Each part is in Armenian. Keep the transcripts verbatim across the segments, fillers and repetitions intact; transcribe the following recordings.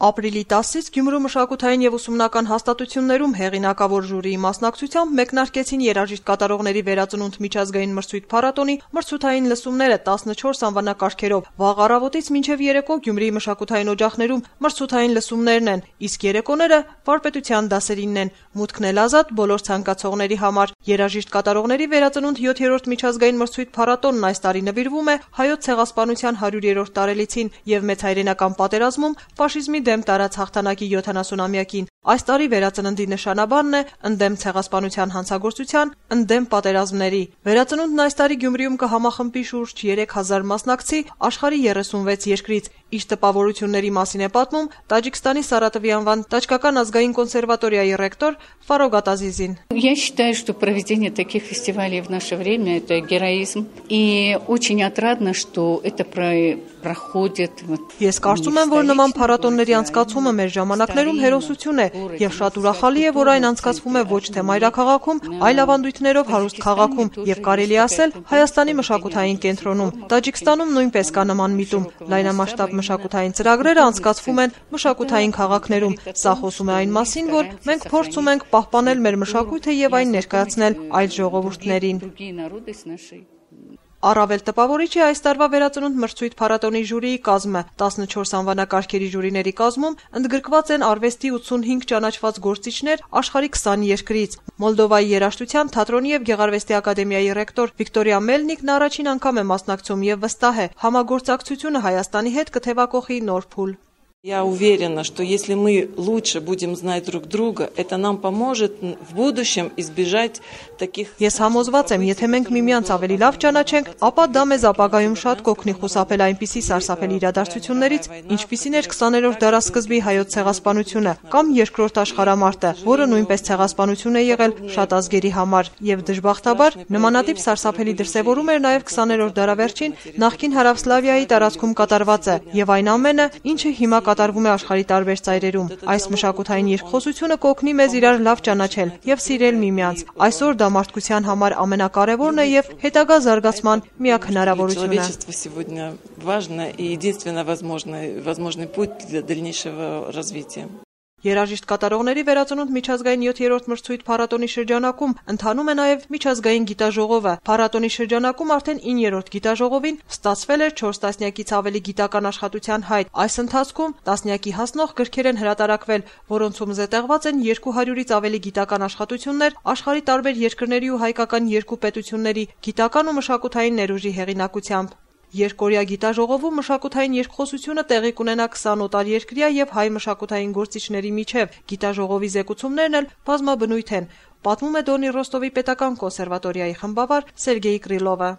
Ապրիլի տասից Գյումրու մշակութային եւ ուսումնական հաստատություններում հեղինակավոր ժյուրիի մասնակցությամբ մեկնարկեցին երաժիշտ կատարողների վերածնունդ միջազգային մրցույթ փառատոնի մրցութային լսումները տասնչորս անվանակարգերով։ Վաղ առավոտից մինչև երեկո Գյումրիի մշակութային օջախներում մրցութային լսումներն են, իսկ երեկոները վարպետության դասերինն են։ Մուտքն էլ ազատ բոլոր ցանկացողների համար։ Երաժիշտ կատարողների վերածնունդ յոթերորդ միջազգային մրցույթ փառատոնն այս տարի նվիրվում է հայոց ցեղասպանության հարյուրերորդ տարելիցին եւ մեծ հայրենական պատերազմում ֆաշիզմի դեմ տարած հաղթանակի յոթանասունամյակին։ Այս տարի վերածննդի նշանաբանն է ընդդեմ ցեղասպանության հանցագործության, ընդդեմ պատերազմների։ Վերածնունդն այս տարի Գյումրիում կհամախմբի շուրջ երեք հազար մասնակցի աշխարհի երեսունվեց երկրից։ Իր տպավորությունների մասին է պատմում Տաջիկստանի Սարատովի անվան Տաջկական ազգային կոնսերվատորիայի ռեկտոր Ֆարոգ Ատազիզին։ Я считаю, что проведение таких фестивалей в наше время это героизм, и очень отрадно, что это проходит. Ես կարծում եմ, որ նման փառատոնների անցկացումը մեր ժամանակներում հերոսություն է, եւ շատ ուրախալի է, որ այն անցկացվում է ոչ թե մայրաքաղաքում, այլ ավանդույթներով հարուստ քաղաքում, եւ կարելի ասել Հայաստանի մշակութային կենտրոնում։ Տաջիկստանում նույնպես կա նման միտում։ Լայնամասշտաբ մշակութային ծրագրերը անցկացվում են մշակութային քաղաքներում։ Սա խոսում է այն մասին, որ մենք փորձում ենք պահպանել մեր մշակույթը եւ այն ներկայացնել այլ ժողովուրդներին։ Առավել տպավորիչ է այս տարվա վերածնունդ մրցույթ փառատոնի ժյուրիի կազմը։ տասնչորս անվանակարգերի ժյուրիների կազմում ընդգրկված են արվեստի ութսունհինգ ճանաչված գործիչներ աշխարհի քսան երկրից։ Մոլդովայի երաժշտության, թատրոնի եւ գեղարվեստի ակադեմիայի ռեկտոր Վիկտորիա Մելնիկն առաջին անգամ է մասնակցում եւ վստահ է, համագործակցությունը Հայաստանի հետ կթևակողի նոր փուլ։ Я уверена, что если мы лучше будем знать друг друга, это нам поможет в будущем избежать таких. Ես համոզված եմ, եթե մենք միմյանց ավելի լավ ճանաչենք, ապա դա մեզ ապագայում շատ կօգնի խուսափել այնպիսի սարսափելի իրադարձություններից, ինչպիսին էր քսաներորդ դարասկզբի հայոց ցեղասպանությունը կամ երկրորդ աշխարհամարտը, որը նույնպես ցեղասպանություն է եղել շատ ազգերի համար, եւ դժբախտաբար նմանատիպ սարսափելի դրսեւորում էր նաեւ քսաներորդ դարավերջին նախկին Հարավսլավիայի տարածքում կատարվածը, եւ այն ամենը, ինչը հիմա կատարվում է աշխարհի տարբեր ծայրերում։ Այս մշակութային երկխոսությունը կօգնի մեզ իրար լավ ճանաչել եւ սիրել միմյանց։ Այսօր դա մարդկության համար ամենակարևորն է եւ հետագա զարգացման միակ հնարավորությունը։ Երաժիշտ կատարողների վերածնունդ միջազգային յոթերորդ մրցույթ փառատոնի շրջանակում ընթանում է նաև միջազգային գիտաժողովը։ Փառատոնի շրջանակում արդեն իններորդ գիտաժողովին ստացվել էր չորս տասնյակից ավելի գիտական աշխատության հայտ։ Այս ընթացքում տասնյակի հասնող գրքեր են հրատարակվել, որոնցում զետեղված են երկու հարյուրից ավելի գիտական աշխատություններ աշխարհի տարբեր երկրների ու հայկական երկու պետությունների գիտական ու մշակութային ներուժի հեղինակությամբ։ Երկօրյա գիտաժողովում մշակութային երկխոսությունը տեղի կունենա քսան օտարերկրյա եւ հայ մշակութային գործիչների միջև։ Գիտաժողովի զեկուցումներն էլ բազմաբնույթ են, պատմում է Դոնի Ռոստովի պետական կոնսերվատորիայի խմբավար Սերգեյ Կրիլովը։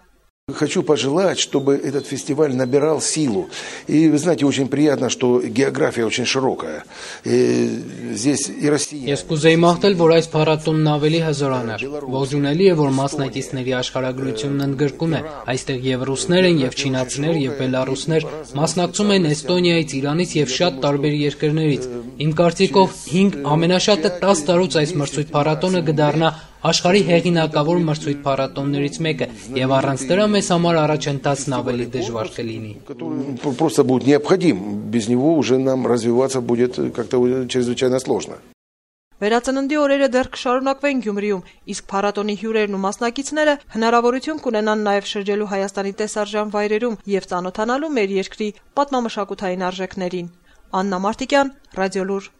Хочу пожелать, чтобы этот фестиваль набирал силу. И вы знаете, очень приятно, что география очень широкая. И здесь и Россия. Ես կուզեի մաղթել, որ այս փառատոնն ավելի հզորանար։ Ողջունելի է, որ մասնակիցների աշխարհագրությունն ընդգրկում է։ Այստեղ եւ ռուսներ են, եւ չինացիներ, եւ բելարուսներ, մասնակցում են Էստոնիայից, Իրանից եւ շատ տարբեր երկրներից։ Իմ կարծիքով հինգ ամենաշատը տասը տարուց այս մրցույթ փառատոնը կդառնա աշխարհի հեղինակավոր մրցույթ փառատոններից մեկը, եւ առանց դրա մեզ համար առաջընթացն ավելի դժվար կլինի։ Просто будет необходим. Без него уже нам развиваться будет как-то чрезвычайно сложно. Վերածննդի օրերը դեռ կշարունակվեն Գյումրիում, իսկ փառատոնի հյուրերն ու մասնակիցները հնարավորություն կունենան նաև շրջելու Հայաստանի տեսարժան վայրերում եւ ծանոթանալու մեր երկրի պատմամշակութային արժեքներին։ Աննա Մարտիկյան, Ռադիոլուր։